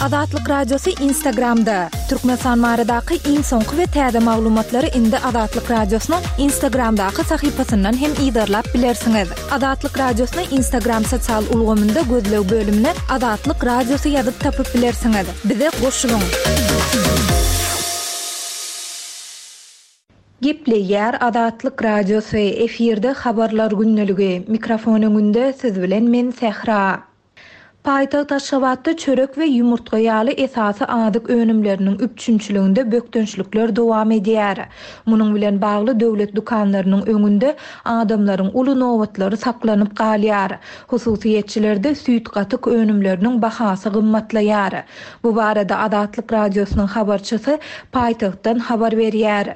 Azatlyk Radiosy Instagramda! Türkmenistan baradaky iň soňky we täze maglumatlary indi Azatlyk Radiosynyň Instagramdaky sahypasyndan hem yzarlap bilersiňiz. Azatlyk Radiosyny Instagram sosial ulgamynda gözleg bölümine Azatlyk Radiosy ýazyp tapyp bilersiňiz. Bize goşulyň! Gepleýär Azatlyk Radiosy, efirde Habarlar gündeligi, mikrofon öňünde siz bilen men Sähra. Paýtagt Aşgabatda çörek we ýumurtga ýaly esasy azyk önümleriniň üpjünçiliginde bökdençlikler dowam edýär. Munuň bilen bagly döwlet dükanlarynyň öňünde adamlaryň uly nobatlary saklanyp galýar. Hususyýetçilerde süýt-gatyk önümleriniň bahasy gymmatlaýar. Bu barada Azatlyk Radiosynyň habarçysy paýtagtdan habar berýär.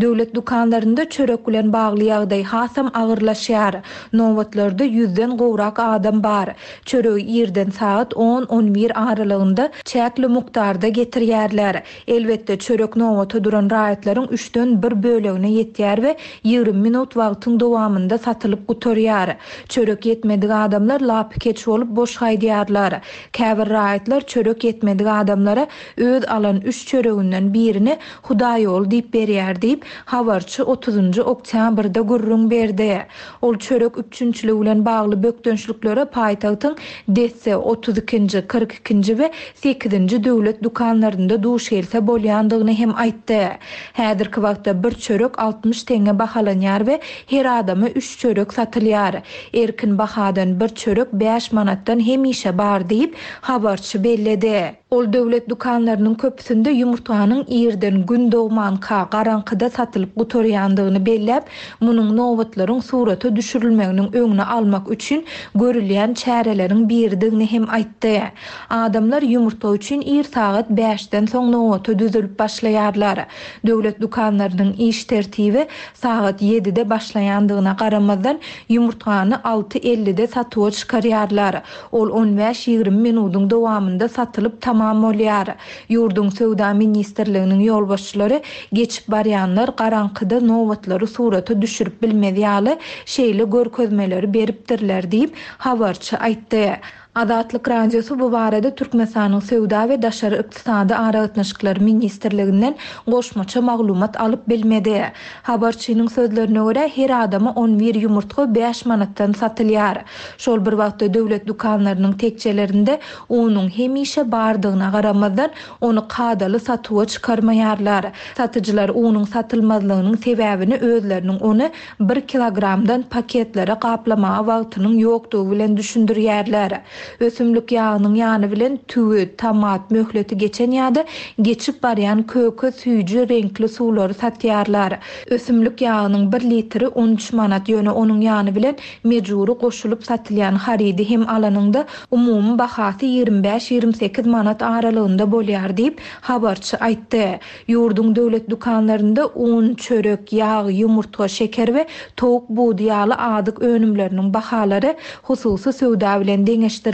Döwlet dükanlarynda çörek bilen bagly ýagdaý hasam agyrlaşýar. Nobatlarda ýüzden gowrak adam bar. Çöregi irden sagat on-on bir aralygynda çäkli mukdarda getirýärler. Elbetde, çörek nobata duran raýatlaryň üçden bir bölegine ýetýär we 20 minut wagtyň dowamynda satylyp gutarýar. Çörek ýetmedik adamlar lapykeç bolup boş gaýdýarlar. Käbir raýatlar çörek ýetmedik adamlara öz alan üç çöreginden birini Hudaýýoly diýip berýär diýip, habarçy otuzynjy oktýabrda gürrüň berdi. Ol çörek üpjünçiligi bilen bagly bökdençliklere paýtagtyň Desse, otuz ikinji, 42-nji we sekizinji döwlet dükanlarynda duş gelse bolýandygyny hem aýtdy. Häzirki wagtda bir çörek 60 teňňe bahalanýar we her adama üç çörek satylýar. Erkin bahadan bir çörek bäş manatdan hemişe bar diýip, habarçy belledi. Ol döwlet dükanlarynyň köpüsinde ýumurtganyň irden Gün dogmanka, garaňkyda satylyp gutarýandygyny belläp, munuň nobatlaryň surata düşürilmeginiň öňüni almak üçin görülýän çäreleriň biridigini hem aýtdy. Adamlar ýumurtga üçin ir sagat bäşden soň nobata düzülip başlaýarlar. Döwlet dükanlarynyň iş tertibi sagat ýedide başlaýandygyna garamazdan, ýumurtgany alty ellide satuwa çykarýarlar. Ol on bäş-ýigrimi minudyň dowamynda satylyp tamam bolýar. Ýurduň Söwda ministrliginiň ýolbaşçylary geçip barýanlar garaňkyda nobatlary surata düşürip bilmez ýaly şeýle görkezmeleri beripdirler diýip, habarçy aýtdy. Azatlyk Radiosy bu barada Türkmenistanyň Söwda we daşary ykdysady aragatnaşyklar ministrliginden goşmaça maglumat alyp bilmedi. Habarçynyň sözlerine görä, her adama on bir ýumurtga bäş manatdan satylýar. Şol bir wagtda döwlet dükanlarynyň tekjelerinde unuň hemişe bardygyna garamazdan, ony kadaly satuwa çykarmaýarlar. Satyjylar unuň satylmazlygynyň sebäbini özleriniň ony bir kilogramdan paketlere gaplamaga wagtynyň ýokdugy bilen düşündirýärler. Ösümlik ýagynyň ýany bilen tüwi, tomat, möhleti geçen ýa-da geçip barýan köke, süýji reňkli suwlary satýarlar. Ösümlik ýagynyň bir litri 13 manat, ýöne onuň ýany bilen mejbury goşulyp satylýan harydy hem alanyňda umumy bahasy 25-28 manat aralygynda bolýar diýip, habarçy aýtdy. Ýurduň döwlet dükanlarynda un, çörek, ýag, ýumurtga, şeker we towuk budy ýaly azyk önümleriniň bahalary hususy söwda bilen deňeşdirilende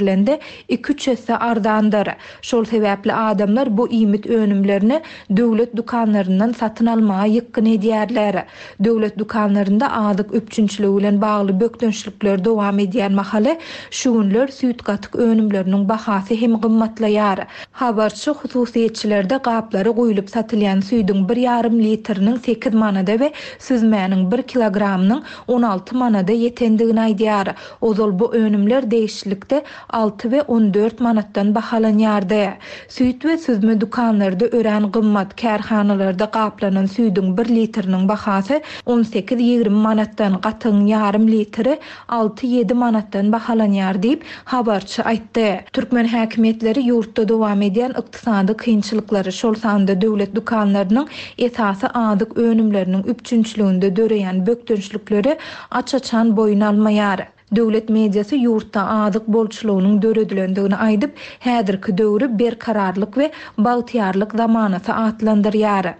iki-üç esse arzandyr. Şol sebäpli adamlar bu iýmit önümlerini döwlet dükanlaryndan satyn almaga ýykgyn edýärler. Döwlet dükanlarynda azyk üpjünçiligi bilen bagly bökdençlikler dowam edýän mahaly, şu günler süýt-gatyk önümleriniň bahasy hem gymmatlaýar. Habarçy hususyýetçilerde gaplara guýlup satylýan süýdüň bir ýarym litriniň sekiz manada we süzmäniň bir kilogramynyň 16 manada ýetendigini aýdýar. Ozal bu önümler degişlilikde alty we 14 manatdan bahalanýardy. Süýt we süzme dükanlarda örän gymmat, kärhanalarda gaplanan süýdüň bir litriniň bahasy on sekiz-ýigrimi manatdan, gatygyň ýarym litri alty-ýedi manatdan bahalanýar diýip, habarçy aýtdy. Türkmen häkimiýetleri ýurtda dowam edýän ykdysady kynçylyklary, şol sanda döwlet dükanlarynyň esasy azyk önümleriniň üpjünçiliginde döreýän bökdençlikleri aç-açan boýun almaýar. Döwlet mediasy ýurtda azyk bolçulygynyň döredilendigini aýdyp, häzirki döwri berkararlyk we bagtyýarlyk zamanasy atlandyrýar.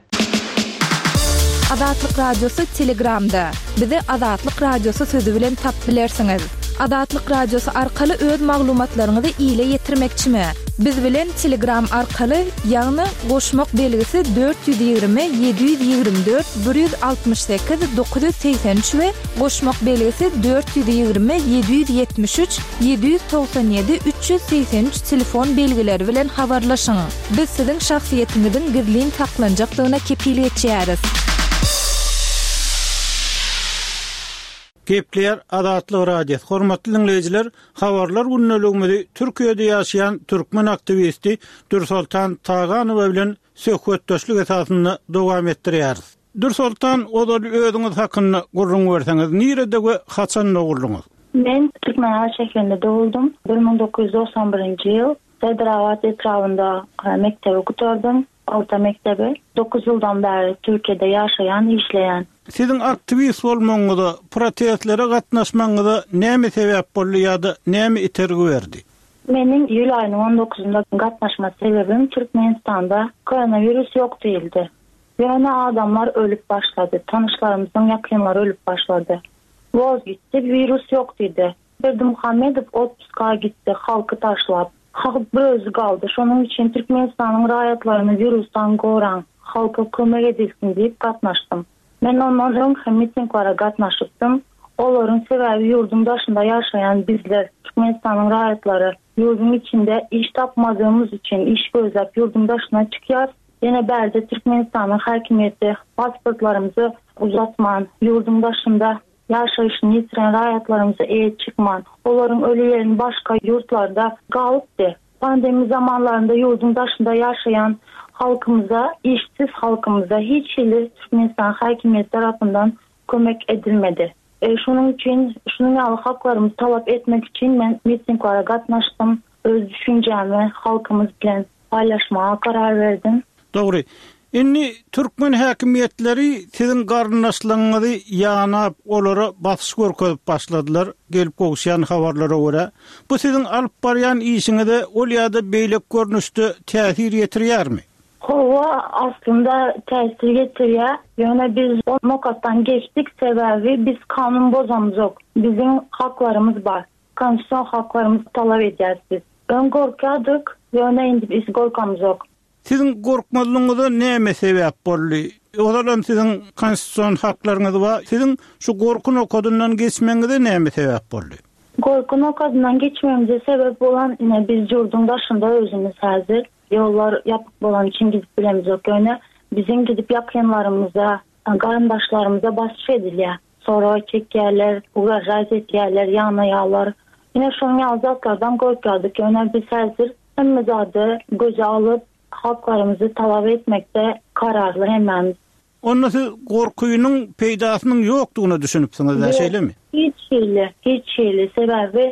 Azatlyk Radiosy Telegramda, Bizi Azatlyk Radiosy sözi bilen tapyp bilersiňiz. Azatlyk Radiosy arkaly öz maglumatlaryňyzy ile ýetirmekçimi? Biz bilen Telegram arkaly, ýagny goşmak belgisi 420 724 168 983 we goşmak belgisi 420 773 797 383 telefon belgileri bilen habarlaşyň. Biz siziň şahsyýetiňiziň gizlin saklanjakdygyna kepil geçýäris. Gepleýär Azatlyk Radiosy, Hormatly diňleýjiler, habarlar gündeligimizi Türkiýede ýaşaýan türkmen aktiwisti Dürsoltan Taganowa bilen söhbetdeşlik esasynda dowam etdirýäris. Dürsoltan, ozal özüňiz hakynda gürrüň berseňiz, nirede we haçan doguldyňyz? Men Türkmenabat şäherinde doguldym. 1991-nji ýyl Serdarabat etrabynda mekdebi gutardym. Orta mekdebi. Dokuz ýyldan bäri Türkiýede ýaşaýan, işleýän. Siziň aktiwist bolmagyňyza, protestlere gatnaşmagyňyza näme sebäp boldy ýa-da näme itergi berdi? Meniň iýul aýynyň on dokuzynda gatnaşma sebäbim Türkmenistanda koronawirus ýok diýildi. Ýöne adamlar ölüp başlady, tanyşlarymyzyň ýakynlary ölüp başlady. Woz gitdi, wirus ýok diýdi. Berdimuhamedow otpuska gitdi, halky taşlap. Halk bir özi galdy. Şonuň üçin Türkmenistanyň raýatlaryny wirusdan goraň, halka kömek edilsin diýip gatnaşdym. Men ondan öň hem mitinglere gatnaşypdym. Olaryň sebäbi ýurduň daşynda ýaşaýan bizler, Türkmenistanyň raýatlary, ýurduň içinde iş tapmadygymyz üçin iş gözläp ýurduň daşyna çykýas. Ýene bärde Türkmenistanyň häkimiýeti pasportlarymyzy uzatman, ýurduň daşynda ýaşaýşyny ýitiren raýatlarymyza eýe çykman, olaryň ölülerini başga ýurtlarda galypdy. Pandemiýa zamanlarynda ýurduň daşynda ýaşaýan halkymyza, işsiz halkymyza hiç hili Türkmenistan häkimiýeti tarapyndan kömek edilmedi. Şonuň üçin şunuň ýaly haklarymyzy talap etmek üçin men mitinglere gatnaşdym, öz düşünjämi halkymyz bilen paýlaşmaga karar berdim. Dogry. Indi türkmen häkimiýetleri siziň garyndaşlaryňyzy ýanap, olara basyş görkezip başladylar, gelip gowuşýan habarlara görä. Bu siziň alyp barýan işiňize ol ýa-da beýleki görnüşde täsir ýetirýärmi? Hawa, aslynda täsir ýetirýär. Ýöne biz o nokatdan geçdik, sebäbi biz kanun bozamzok. Biziň haklarymyz bar. Konstitusion haklarymyzy talap edýäris biz. Öň gorkýardyk, ýöne indi biz gorkamzok. Siziň gorkmazlygyňyza näme sebäp boldy? Ozalam siziň konstitusion haklaryňyz bar. Siziň şu gorky nokadyndan geçmegiňize näme sebäp boldy? Gorky nokadyndan geçmegimize sebäp bolan ine biz ýurduň daşynda özümiz häzir. Ýollar ýapyk bolany üçin gidip bilemizok. Ýöne biziň gidip ýakynlarymyza, garyndaşlarymyza basyş edilýär. Sorag çekýärler, ugražat edýärler, ýanaýarlar. Ine şonuň ýaly zatlardan gorkýardyk. Ýöne biz häzir hemme zady göze alyp, haklarymyzy talap etmekde kararly hemmämiz. Onda siz gorkynyň peýdasynyň ýokdugyna düşünipsiňiz-dä, şeýlemi? Hiç hili, hiç hili. Sebäbi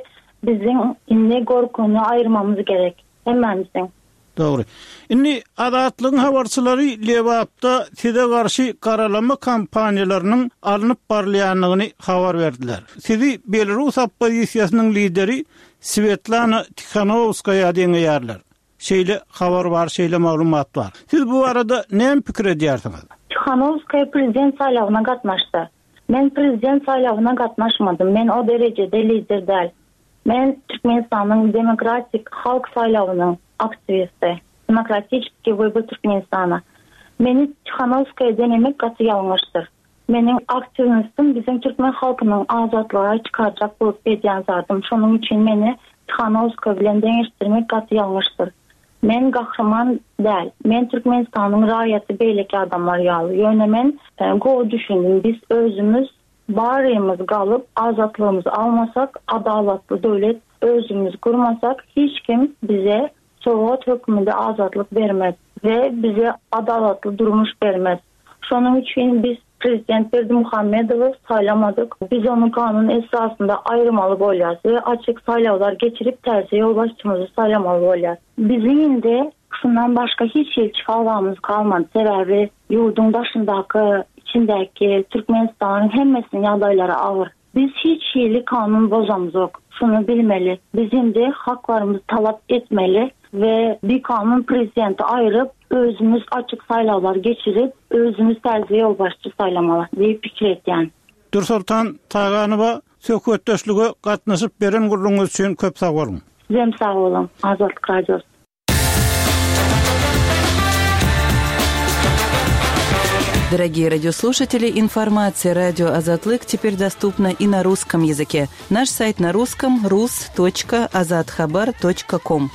biziň indi gorkyny aýyrmamyz gerek. Hemmämiziň. Dogry. Indi Azatlygyň habarçylary Lebapda size garşy garalama kampaniýalarynyň alnyp barylýandygyny habar berdiler. Sizi belarus oppozisiýasynyň lideri Swetlana Tihanowskaýa deňeýärler. Şeýle habar bar, şeýle maglumat bar. Siz bu barada näme pikir edýärsiňiz? Tihanowskaýa prezident saýlawyna gatnaşdy. Men prezident saýlawyna gatnaşmadym. Men o derejede lider däl. Men Türkmenistanyň demokratik halk saýlawynyň aktiwisti. Demokratiçeskiý wybor Türkmenistana. Meni Tihanowskaýa deňemek gaty ýalňyşdyr. Meniň aktiwnostum biziň türkmen halkynyň azatlyga çykarjak bolup edýän zadym. Şonuň üçin meni Tihanowskaýa bilen deňeşdirmek gaty ýalňyşdyr. Men gahryman däl. Men Türkmenistanyň raýaty beýleki adamlar ýaly. Ýöne men gowy düşündim biz özümiz Barymyz galyp azatlygymyzy almasak, adalatly döwlet özümiz gurmasak hiç kim bize sowgat hökmünde azatlyk bermez we bize adalatly durmuş bermez. Şonuň üçin biz prezident Berdimuhamedowy saýlamadyk. Biz ony kanun esasynda aýyrmaly bolýas we açyk saýlawlar geçirip täze ýolbaşçymyzy saýlamaly bolýas. Biziň indi şundan başga hiç hili çykalgamyz galmady sebäbi Ýurduň daşyndaky, içindäki Türkmenistanyň hemmesiniň ýagdaýlary agyr. Biz hiç hili kanun bozamzok. Şuny bilmeli. Biz indi haklarymyzy talap etmeli we bikanun prezidenti aýryp, özümiz açyk saýlawlar geçirip, özümiz täze ýolbaşçy saýlamaly diýip pikir etýän. Dürsoltan Taganowa söhbetdeşlige gatnaşyp beren gürrüňiňiz üçin köp sag boluň. Sizem sag boluň, Azatlyk Radiosy. Дорогие радиослушатели, информация радио Азатлык теперь доступна и на русском языке. Наш сайт на русском rus.azathabar.com.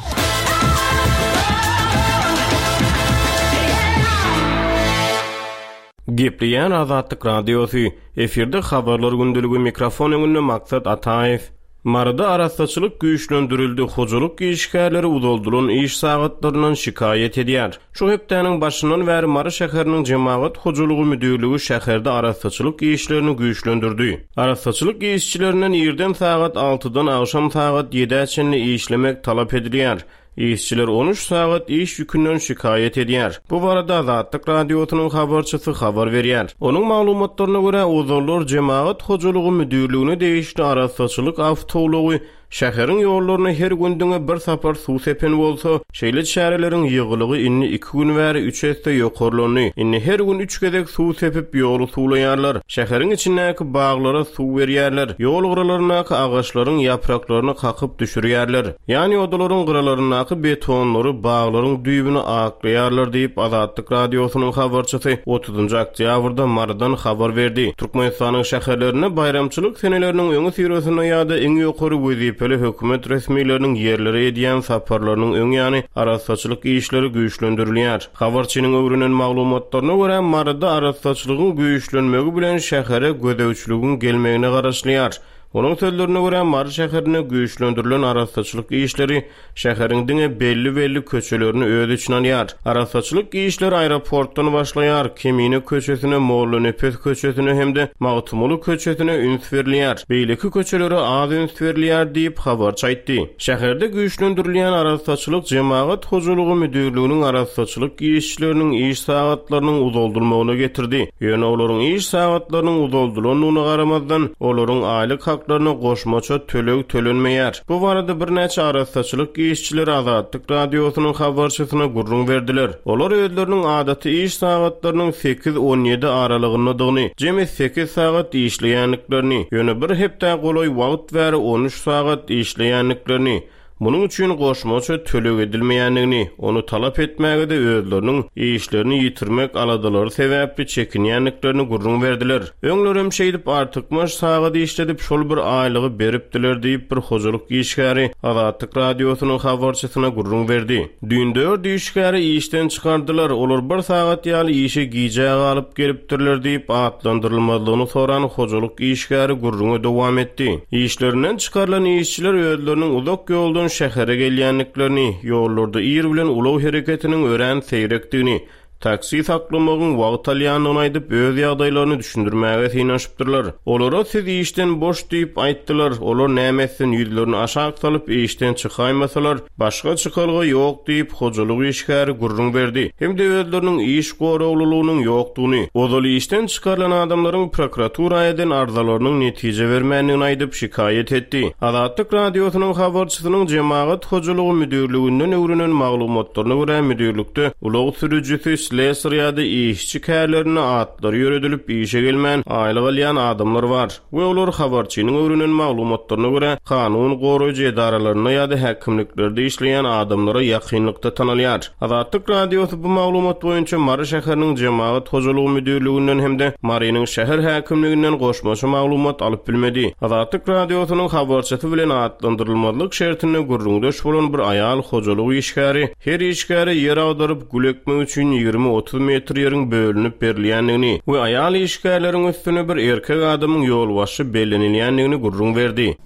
Gepleýän Azatlyk Radiosy, efirde Habarlar gündeligi mikrofon öňünde Maksat Ataýew. Maryda arassaçylyk güýçlendirildi, hojalyk işgärleri uzaldylan iş sagatlaryndan şikaýat edýär. Şu hepdäniň başyndan bäri Mary şäheriniň Jemagat hojalygy müdirligi şäherde arassaçylyk işlerini güýçlendirdi. Arassaçylyk işçilerinden irden sagat altydan agşam sagat ýedä çenli işlemek talap edilýär. Işçiler on üç sagat iş ýükünden şikaýat edýär. Bu barada Azatlyk Radiosynyň habarçysy habar berýär. Onuň maglumatlaryna görä, ozallar Jemagat hojalygy müdirligine degişli arassaçylyk awtoulagy şäheriň ýollaryna her gün diňe bir sapar suw sepen bolsa, şeýle çäreleriň ýygylygy indi iki gün bäri üç esse ýokarlandy. Indi her gün üç gezek suw sepip, ýoly suwlaýarlar. Şäheriň içindäki baglara suw berýärler, ýol gyralaryndaky agaçlaryň ýapraklaryny kakyp düşürýärler. Ýan ýodalaryň gyralaryndaky betonlary, baglaryň düýbüni aklaýarlar diýip, Azatlyk Radiosynyň habarçysy otuzynjy oktýabrda Marydan habar berdi. Türkmenistanyň şäherlerinde baýramçylyk seneleriniň öňüsyrasynda ýa-da iň ýokary wezipeli hökümet resmileriniň ýerlere edýän saparlarynyň öň ýany arassaçylyk işleri güýçlendirilýär. Habarçynyň öwrenen maglumatlaryna görä, Maryda arassaçylygyň güýçlenmegi bilen şähere gözegçiligiň gelmegine garaşylýar. Onuň sözlerine görä, Mary şäherinde güýçlendirilen arassaçylyk işleri şäheriň diňe belli-belli köçelerini öz içine alýar. Arassaçylyk işleri aeroportdan başlaýar, Kemine köçesine, Mollanepes köçesine hem-de Magtymguly köçesine üns berilýär. Beýleki köçelere az üns berilýär diýip, habarçy aýtdy. Şäherde güýçlendirilýän arassaçylyk jemagat hojalygy müdirliginiň arassaçylyk işçileriniň iş sagatlarynyň uzaldylmagyna getirdi. Ýöne olaryň iş sagatlarynyň uzaldylandygyna garamazdan, olaryň aýlyk haklaryna goşmaça töleg tölenmeýär. Bu barada birnäçe arassaçylyk işçileri Azatlyk Radiosynyň habarçysyna gürrüň berdiler. Olar özleriniň adaty iş sagatlarynyň sekiz-on ýedi aralygyndadygyny, jemi sekiz sagat işleýändiklerini, ýöne bir hepdä golaý wagt bäri on üç sagat işleýändiklerini, munuň üçin goşmaça töleg edilmeýändigini, ony talap etmäge-de özleriniň işlerini ýitirmek aladalary sebäpli çekinýändiklerini gürrüň berdiler. Öňlerem şeýdip artykmaç sagat işledip şol bir aýlygy beripdiler diýip, bir hojalyk işgäri Azatlyk Radiosynyň habarçysyna gürrüň berdi. Düýn dört işgäri işden çykardylar, olar bir sagat ýaly işe gijä galyp gelipdirler diýip, atlandyrylmazlygyny soran hojalyk işgäri gürrüňe dowam etdi. Işlerinden çykarylan işçiler özleriniň uzak ýoldan şähere gelýändiklerini, ýollarda ir bilen ulag hereketiniň örän seýrekdigini, Taksi saklamagyň wagt alýandygyny aýdyp, öz ýagdaýlaryny düşündirmäge synanyşypdyrlar. Olara siz işden boş diýip aýtdylar, olar näme etsin, ýüzlerini aşak salyp işden çykaýmasalar, başga çykalga ýok diýip, hojalyk işgäri gürrüň berdi hem-de özleriniň iş goraglylygynyň ýokdugyny, ozal işden çykarylan adamlaryň prokuratura eden arzalarynyň netije bermändigini aýdyp, şikaýat etdi. Azatlyk Radiosynyň habarçysynyň Jemagat hojalygy müdirliginden öwrenen maglumatlaryna görä, müdirlikde Ulag sürüjisi, slesar ýa-da işçi kärlerinde atlary ýöredilip işe gelmän aýlyk alýan adamlar bar we olar habarçynyň öwrenen maglumatlaryna görä kanun goraýjy edaralarynda ýa-da häkimliklerde işleýän adamlara ýakynlykda tanalýar. Azatlyk Radiosy bu maglumat boýunça Mary şäheriniň Jemagat hojalygy müdirliginden hem-de Marynyň şäher häkimliginden goşmaça maglumat alyp bilmedi. Azatlyk Radiosynyň habarçysy bilen atlandyrylmazlyk şertinde gürrüňdeş bolan bir aýal hojalyk işgäri Her işgäre ýer agdaryp, gül ekmek üçin 20-30 metr ýeriň bölünip berilýändigini we aýal işgärleriň üstüne bir erkek adamyň ýolbaşçy bellenilýändigini gürrüň berdi.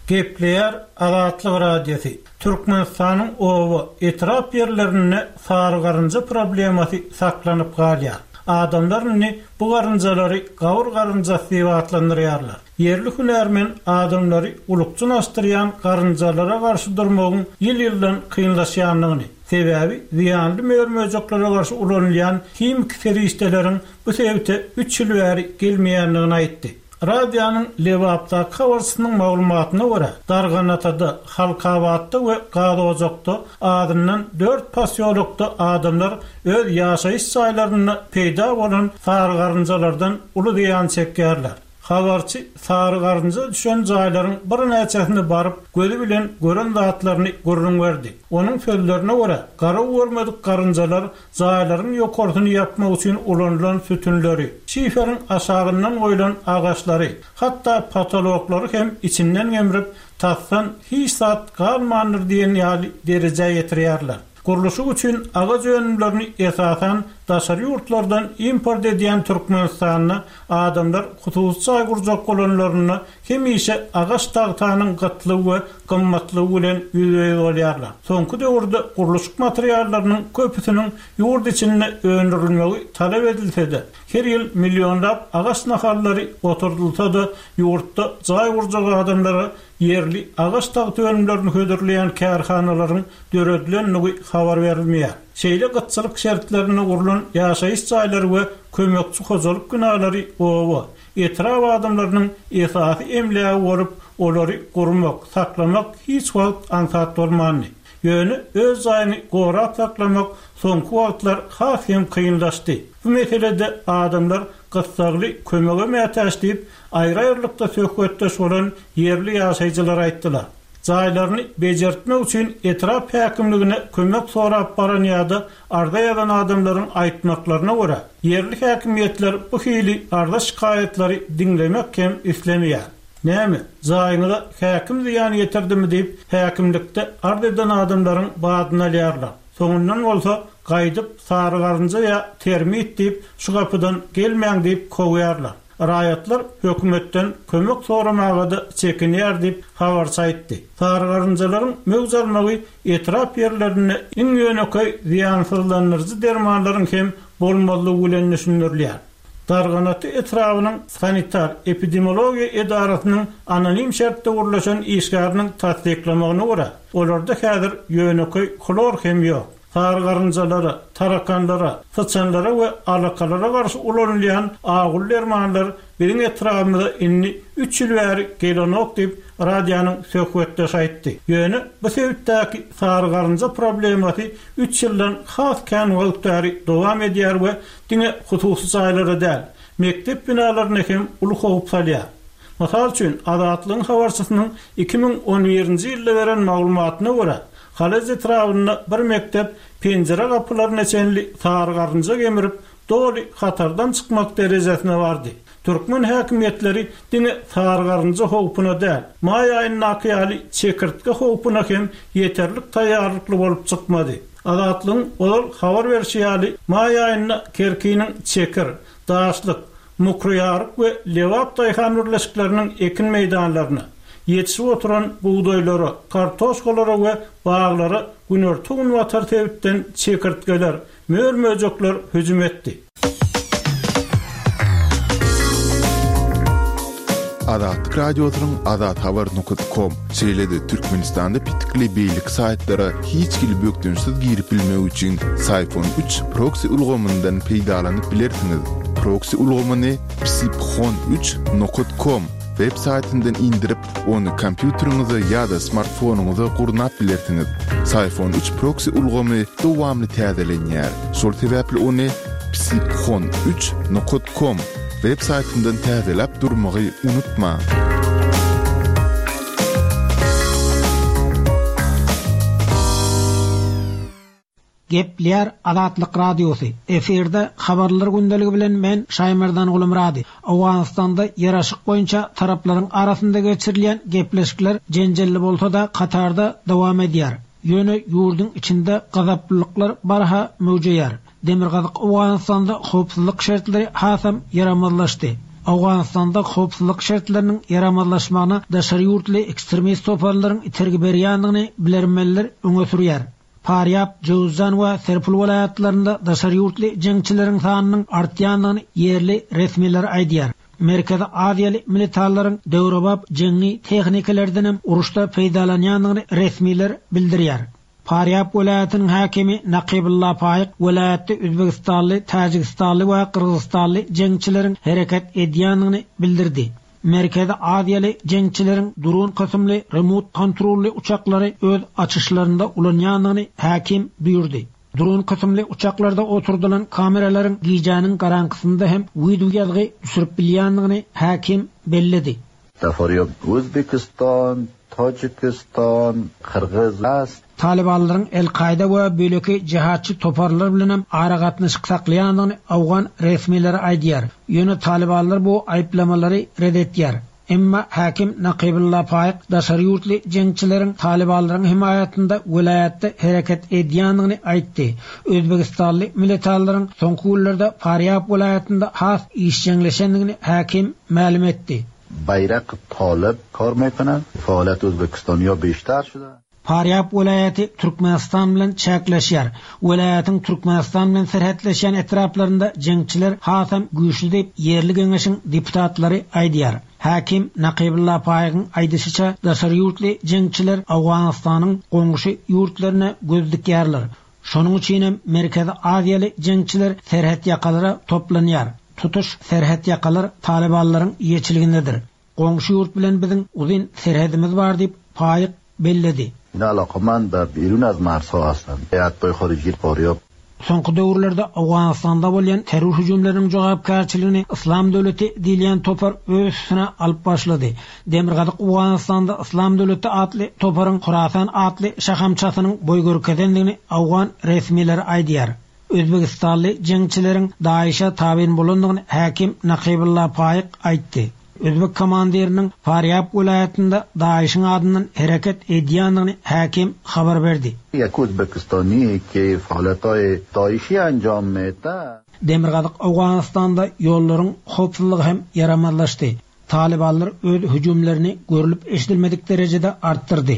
Gepleýär Azatlyk Radiosy, Türkmenistanyň oba, etrap ýerlerinde sary garynja problemasy saklanyp galýar. Adamlar indi bu garynjalary gabyr garynjasy diýip atlandyrýarlar. Ýerli hünärmen adamlary ulukjyn açdyrýan garynjalara garşy durmagyň ýyl-ýyldan kynlaşýandygyny, sebäbi zyýanly mör-möjeklere garşy ulanylýan himiki serişdeleriň bu sebite üç ýyl bäri gelmeýändigini aýtdy. Radionyň Lebapdaky habarçysynyň maglumatyna görä, Darganatada, Halkabatda we Gazojakda azyndan dört posýolokda adamlar öz ýaşaýyş jaýlarynda peýda bolan sary garynjalardan uly zyýan çekýärler. Habarçy sary garynja düşen jaýlaryň birnäçesine baryp, gözi bilen gören zatlaryny gürrüň berdi. Onuň sözlerine görä, garaw görmedik garynjalar jaýlaryň ýokarsyny ýapmak üçin ulanylan sütünleri, şiferiň aşagyndan goýlan agaçlary, hatda potoloklary hem içinden gemrip, tasdan hiç zat galmandyr diýen ýaly derejä ýetirýärler. Gurluşyk üçin agaç önümlerini esasan daşary ýurtlardan import edýän Türkmenistanda adamlar hususy jaý gurjak bolanlarynda hemişe agaç tagtanyň gytlygy we gymmatlygy bilen ýüzbe-ýüz bolýarlar. Soňky döwürde gurluşyk materiallarynyň köpüsiniň ýurt içinde öndürilmegi talap edilse-de, her ýyl millionlap agaç nahallary oturdylsa-da, ýurtda jaý gurjak adamlara ýerli agaç tagta önümlerini hödürleýän kärhanalaryň döredilendigi habar berilmeýär. Şeýle gytçylyk şertlerinde gurlan ýaşaýyş jaýlary we kömekçi hojalyk binalary oba, etrap adamlarynyň esasy emlägi bolup, olary gurmak, saklamak hiç wagt aňsat bolmandy. Ýöne öz jaýyňy gorap saklamak soňky wagtlar has hem kynlaşdy. Bu meselede adamlar gyssagly kömege mätäç diýip, aýry-aýrylykda söhbetdeş bolan ýerli ýaşaýjylar aýtdylar. Jaýlaryny bejertmek üçin etrap häkimligine kömek sorap baran ýa-da arza ýazan adamlaryň aýtmaklaryna görä, ýerli häkimiýetler bu hili arza-şikaýatlary diňlemek hem islemeýär. Näme, jaýyňyza häkim zyýan ýetirdimi diýip, häkimlikde arz eden adamlaryň badyny alýarlar. Soňundan bolsa, gaýdyp sary garynja ýa termit diýip, şu gapydan gelmäň diýip kowýarlar. Raýatlar hökümetden kömek soramaga-da çekinýär diýip, habarçy aýtdy. Sary garynjalaryň möwç almagy etrap ýerlerinde iň ýönekeý zyýansyzlandyryjy dermanlaryň hem bolmazlygy bilen düşündirilýär. Darganata etrabynyň sanitar-epidemiologiýa edarasynyň anonim şertde gürleşen işgäriniň tassyklamagyna görä, olarda häzir ýönekeý hlor hem ýok. Sary garynjalara, tarakanlara, syçanlara we alakalara garşy ulanylýan aguly dermanlar biziň etrabymyza indi üç ýyl bäri gelenok diýip, radionyň söhbetdeşi aýtdy. Ýöne bu sebitdäki sary garynja problemasy üç ýyldan has kän wagt bäri dowam edýär we diňe hususy jaýlara däl, mekdep binalaryna hem uly howp salýar. Mysal üçin, Azatlygyň habarçysynyň 2011-nji ýylda beren maglumatyna görä, Halaç etrabynda bir mekdep penjire gapylaryna çenli sary garynja gemirip, doly hatardan çykmak derejesine bardy. Türkmen häkimiýetleri diňe sary garynja howpuna däl, maý aýyndaky ýaly çekirtge howpuna hem ýeterlik taýýarlykly bolup çykmady. Azatlygyň ozal habar berşi ýaly, maý aýynda Kerkiniň Çekir, Daşlyk, Mukryýaryk we Lebap daýhan birleşikleriniň ekin meýdanlaryna, ýetişip oturan bugdaýlara, kartoşkalara we baglara günorta-günbatar sebitden çekirtgeler, mör-möjekler hüjüm etdi. Azatlyk Radiosynyň azathabar nokat kom, şeýle-de Türkmenistanda petikli beýleki saýtlara hiç hili bökdençsiz girip bilmek üçin Syphon üç proksi ulgamyndan peýdalanyp bilersiňiz. Proksi ulgamyny psiphon üç nokat kom web saýtyndan indirip, ony kompýuteriňize ýa-da smartfonyňyza gurnap bilersiňiz. Syphon üç proksi ulgamy dowamly täzelenýär. Şol sebäpli ony psiphon üç nokat kom web saýtyndan täzeläp durmagy unutmaň. Gepleýär Azatlyk Radiosy, Efirde Habarlar gündeligi bilen men Şaýmerdan Gulumyrady. Owganystanda ýaraşyk boýunça taraplaryň arasynda geçirilýän gepleşikler jenjelli bolsa-da Katarda dowam edýär. Ýöne ýurduň içinde gazaplylyklar barha möwjeýär. Demirgazyk Owganystanda howpsuzlyk şertleri hasam ýaramazlaşdy. Owganystanda howpsuzlyk şertleriniň ýaramazlaşmagyna daşary ýurtly ekstremist toparlaryň itergi berýändigini bilermenler öňe sürýär. Farýab, Jöwüzjan we Serpul welaýatlarynda daşary ýurtly jeňçileriň sanynyň artýandygyny ýerli resmiler aýdýar. Merkezi Aziýaly militarlaryň döwrebap jeňňi tehnikalardanam uruşda peýdalanýandygyny resmiler bildirýär. Farýab welaýatynyň häkimi Nakybulla Faýyk welaýatda özbegistanly, täjigistanly we gyrgyzystanly jeňçileriň hereket edýändigini bildirdi. Merkezi Aziýaly jeňçileriň dron kysymly remut kontrolly uçaklary öz açyşlarynda ulanýandygyny häkim duýurdy. Dron kysymly uçaklarda oturdylan kameralaryň gijäniň garaňkysynda hem wideoýazgy düşürip bilýändigini häkim belledi. Dafarýab Özbekistan, Tajikistan, Kyrgyz ast. Talybanlaryň El-Kaýda we beýleki jihatçy toparlar bilenem aragatnaşyk saklaýandygyny owgan resmileri aýdýar. Ýöne talybanlar bu aýyplamalary ret etýär. Emma häkim Nakybulla Faýyk daşary ýurtly jeňçileriň talybanlaryň hemaýatynda welaýatda hereket edýändigini aýtdy. Özbegistanly militarlaryň soňky günlerde Farýab welaýatynda has işjeňleşendigini häkim mälim etdi. Baýrak Tolyp kor mekonand, faoliyat O'zbekistonyo beshtar shuda. Farýab welaýaty Türkmenistan bilen çäkleşýär. Welaýatyň Türkmenistan bilen serhetleşýän etraplarynda jeňçiler hasam güýçli diýip, ýerli geňeşiň deputatlary aýdýar. Häkim Nakybulla Faýygyň aýdyşyça, daşary ýurtly jeňçiler Owganystanyň goňşy ýurtlaryna göz dikýärler. Şonuň üçinem Merkezi Aziýaly jeňçiler serhetýakalara toplanýar. Tutuş serhetýakalar talybanlaryň eýeçiligindedir. Goňşy ýurt bilen biziň uzyn serhedimiz bar diýip, Faýyk belledi. Ina alaqamand be birun az marzha hastand. Heyatboy xoriji Faryab. Soňky döwürlerde Owganystanda bolýan terror hüjümleriniň jogapkärçiligini Yslam döwleti diýilýän topar öz üstüne alyp başlady. Demirgazyk Owganystanda Yslam döwleti atly toparyň Horasan atly şahamçasynyň boý görkezendigini owgan resmileri aýdýar. Özbegistanly jeňçileriň DAIŞ-e tabyn bolandygyny häkim Nakybulla Faýyk aýtdy. Özbek komandiriniň Farýab welaýatynda DAIŞ-iň adyndan hereket edýändigini häkim habar berdi. Ýek Uzbekistani ki faaletaý DAIŞi anjam mede. Demirgazyk Owganystanda ýollaryň howpsuzlygy hem ýaramazlaşdy. Talybanlar öz hüjümlerini görlüp-eşidilmedik derejede artdyrdy.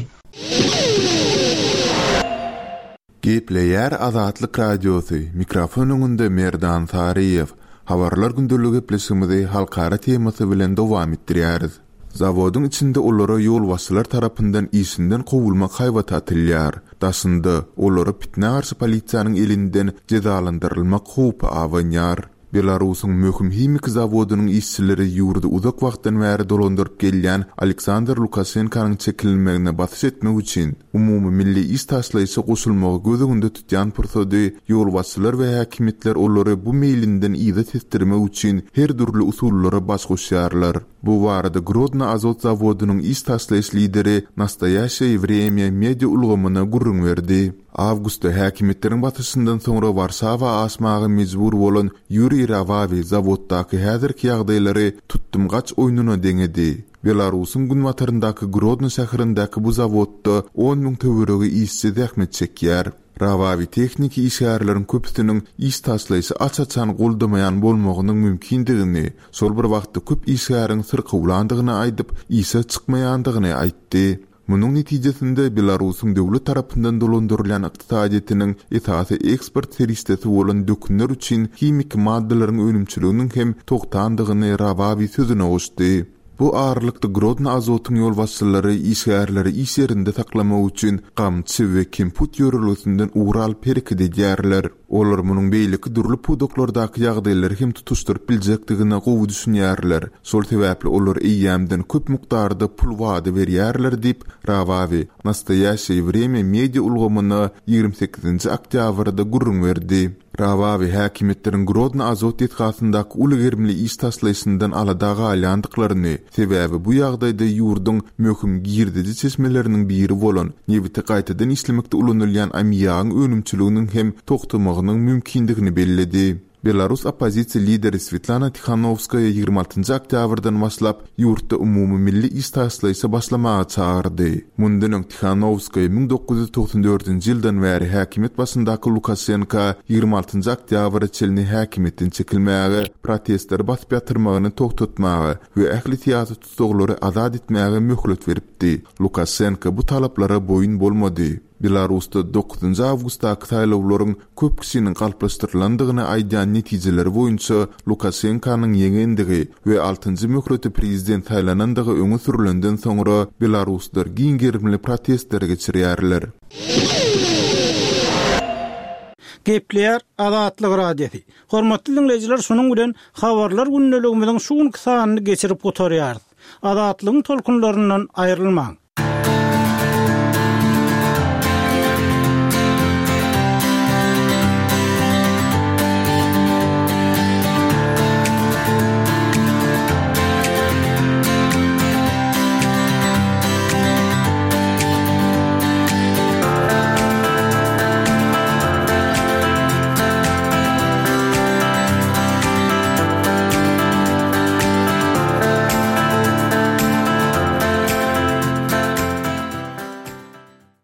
Gepleýär Azatlyk Radiosy, mikrofon öňünde Merdan Saryýew. Habarlar gündelik gepleşigimizi halkara temasy bilen dowam etdirýäris. Zawodyň içinde olara ýolbaşçylar tarapyndan işinden kowulmak haýbaty atylýar. Daşynda, olara pitnä garşy polisiýanyň elinden jezalandyrylmak howpy abanýar. Belarusyň möhüm himiki zawodynyň işçileri ýurdy uzak wagtdan bäri dolandyryp gelýän Aleksandr Lukaşenkanyň çekilmegine basyş etmek üçin umumymilli iş taşlaýyşa goşulmagy göz öňünde tutýan pursady ýolbaşçylar we häkimiýetler olary bu meýlinden yza tesdirmek üçin her dürli usullara baş goşýarlar. Bu barada Grodno azot zawodynyň iş taşlaýyş lideri Nastoýaşeýe Wremýa media ulgamyna gürrüň berdi. Awgustda häkimiýetleriň basyşyndan soňra Warşawa aşmaga mejbur bolan Ýuriý Rawawi zawoddaky häzirki ýagdaýlary tutdum-gaç oýnuna deňedi. Belarusyň günbataryndaky Grodno şäherindäki bu zawodda on müň töweregi işçi zähmet çekýär. Rawawi tehniki işgärleriň köpüsiniň iş taşlaýşy aç-açan goldamaýan bolmagynyň mümkindigini, şol bir wagtda köp işgäriň syrkawlandygyny aýdyp, işe çykmaýandygyny aýtdy. Munuň netijesinde Belarusyň döwlet tarapyndan dolandyrylýan ykdysadyýetiniň esasy eksport serişdesi bolan dökünler üçin himiki maddalaryň önümçiliginiň hem togtandygyny Rawawi sözüne goşdy. Bu aralykda Grodno Azotyň ýolbaşçylary işgärleri iş ýerinde saklamak üçin gamçy we kemput ýörelgesinden ugur alyp hereket edýärler. Olar munuň beýleki dürli pudaklardaky ýagdaýlary hem tutuşdyryp biljekdigine gowy düşünýärler. Şol sebäpli olar eýýämden köp mukdarda pul wada berýärler diýip, Rawawi Nastoýaşeýe Wremýa media ulgamyna 28-nji oktýabrda gürrüň berdi. Rawawi häkimiýetleriň Grodno azot desgasyndaky uly gerimli iş taşlaýşyndan alada galýandyklaryny, sebäbi bu ýagdaýda ýurduň möhüm girdeji çeşmeleriniň biri bolan nebiti gaýtadan işlemekde ulanylýan ammiagyň önümçiliginiň hem togtamagynyň mümkindigini belledi. Belarus oppozisiýa lideri Swetlana Tihanowskaýa 26 njy oktýabrdan başlap ýurtda umumymilli iş taşlaýşa başlamaga çagyrdy. Mundan öň Tihanowskaýa 1994-nji ýyldan bäri häkimiýet başyndaky Lukaşenka 26 njy oktýabra çenli häkimiýetden çekilmäge, protestleri basyp ýatyrmagyny togtatmaga we ähli syýasy tussaglary azat etmäge möhlet beripdi. Lukaşenka bu talaplara boýun bolmady. Belarusda dokuzynjy awgustdaky saýlawlaryň köp kişiniň galplaşdyrylandygyny aýdýan netijeleri boýunça Lukaşenkanyň ýeňendigi we altynjy möhlete prezident saýlanandygy öňe sürlenden soňra belaruslar giň gerimli protestleri geçirýärler. Gepleýär Azatlyk Radiosy. Hormatly diňleýjiler şunuň bilen Habarlar gündeligimiziň şu günki sanyny geçirip gutarýarys. Azatlygyň tolkunlaryndan aýrylmaň!